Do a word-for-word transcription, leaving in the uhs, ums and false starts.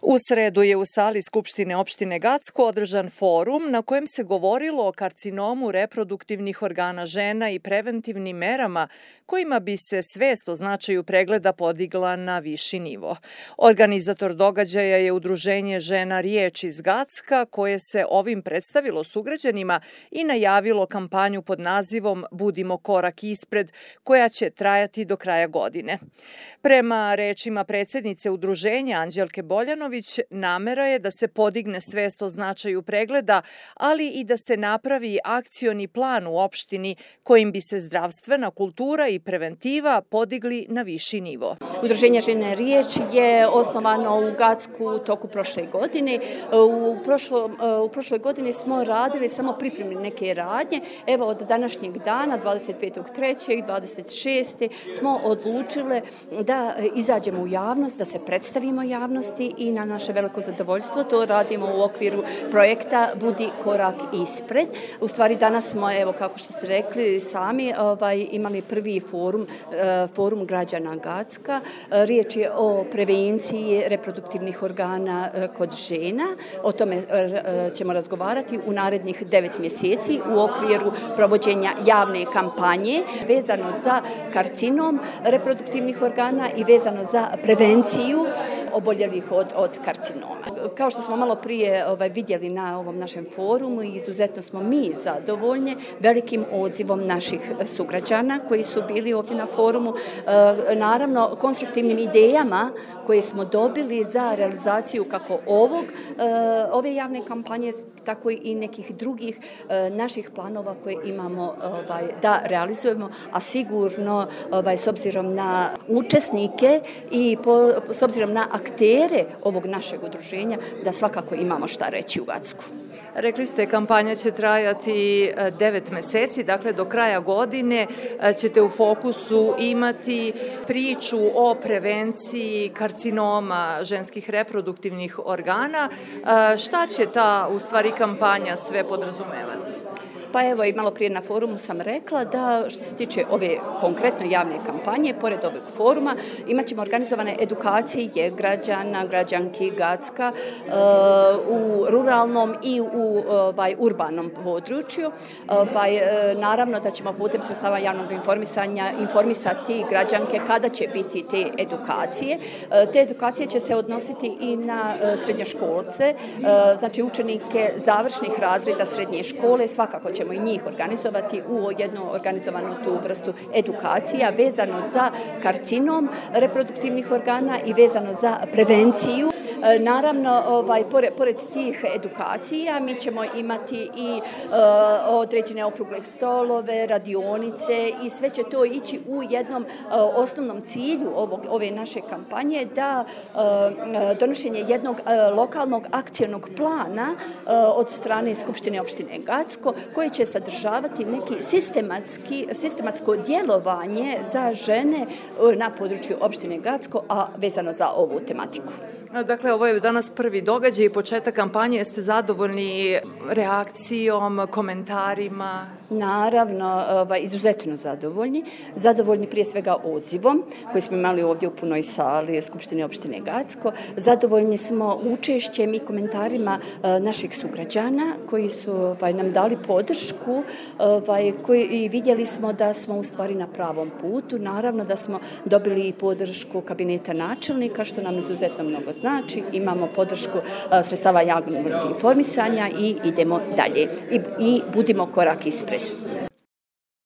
U sredu je u sali Skupštine opštine Gacko održan forum na kojem se govorilo o karcinomu reproduktivnih organa žena i preventivnim merama kojima bi se svest o značaju pregleda podigla na viši nivo. Organizator događaja je Udruženje žena Riječ iz Gacka koje se ovim predstavilo sugrađanima i najavilo kampanju pod nazivom Budimo korak ispred, koja će trajati do kraja godine. Prema rečima predsjednice Udruženja Anđelke Boljanović, namera je da se podigne svest o značaju pregleda, ali i da se napravi akcioni plan u opštini kojim bi se zdravstvena kultura i preventiva podigli na viši nivo. Udruženje žene Riječ je osnovano u Gacku u toku prošle godine. U, prošlo, u prošloj godini smo radili samo pripremne neke radnje. Evo od današnjeg dana, dvadeset petog trećeg dvadeset šestog smo odlučile da izađemo u javnost, da se predstavimo javnosti i na naše veliko zadovoljstvo to radimo u okviru projekta Budi korak ispred. U stvari danas smo, evo kako što ste rekli sami, ovaj, imali prvi forum, forum građana Gacka. Riječ je o prevenciji reproduktivnih organa kod žena. O tome ćemo razgovarati u narednih devet mjeseci u okviru provođenja javne kampanje vezano za karcinom reproduktivnih organa i vezano za prevenciju oboljelih od, od karcinoma. Kao što smo malo prije ovaj, vidjeli na ovom našem forumu, izuzetno smo mi zadovoljni velikim odzivom naših sugrađana koji su bili ovdje na forumu. E, naravno, konstruktivnim idejama koje smo dobili za realizaciju kako ovog, e, ove javne kampanje, tako i nekih drugih e, naših planova koje imamo ovaj, da realizujemo, a sigurno ovaj, s obzirom na učesnike i po, s obzirom na aktere ovog našeg udruženja, da svakako imamo šta reći u Gacku. Rekli ste, kampanja će trajati devet meseci, dakle do kraja godine ćete u fokusu imati priču o prevenciji karcinoma ženskih reproduktivnih organa. Šta će ta, u stvari, kampanja sve podrazumevati? Pa evo i malo prije na forumu sam rekla da što se tiče ove konkretno javne kampanje, pored ovog foruma, imat ćemo organizovane edukacije građana, građanki Gacka uh, u ruralnom i u ovaj, urbanom području. Ovaj, naravno da ćemo putem sredstava javnog informisanja informisati građanke kada će biti te edukacije. Uh, te edukacije će se odnositi i na uh, srednjoškolce, uh, znači učenike završnih razreda srednje škole, svakako će ćemo i njih organizovati u jednu organizovanu tu vrstu edukacija vezano za karcinom reproduktivnih organa i vezano za prevenciju. Naravno, ovaj, pored, pored tih edukacija mi ćemo imati i uh, određene okrugle stolove, radionice i sve će to ići u jednom uh, osnovnom cilju ovog, ove naše kampanje da uh, donošenje jednog uh, lokalnog akcionog plana uh, od strane Skupštine opštine Gacko koji će sadržavati neki sistematski, sistematsko djelovanje za žene uh, na području opštine Gacko, a vezano za ovu tematiku. Dakle, ovo je danas prvi događaj i početak kampanje. Jeste zadovoljni reakcijom, komentarima? Naravno, ovaj, izuzetno zadovoljni. Zadovoljni prije svega odzivom koji smo imali ovdje u punoj sali Skupštine opštine Gacko. Zadovoljni smo učešćem i komentarima uh, naših sugrađana koji su ovaj, nam dali podršku ovaj, koji, i vidjeli smo da smo u stvari na pravom putu. Naravno da smo dobili i podršku kabineta načelnika, što nam izuzetno mnogo znači. Imamo podršku uh, sredstava javnog informisanja i idemo dalje. I, i budimo korak ispred.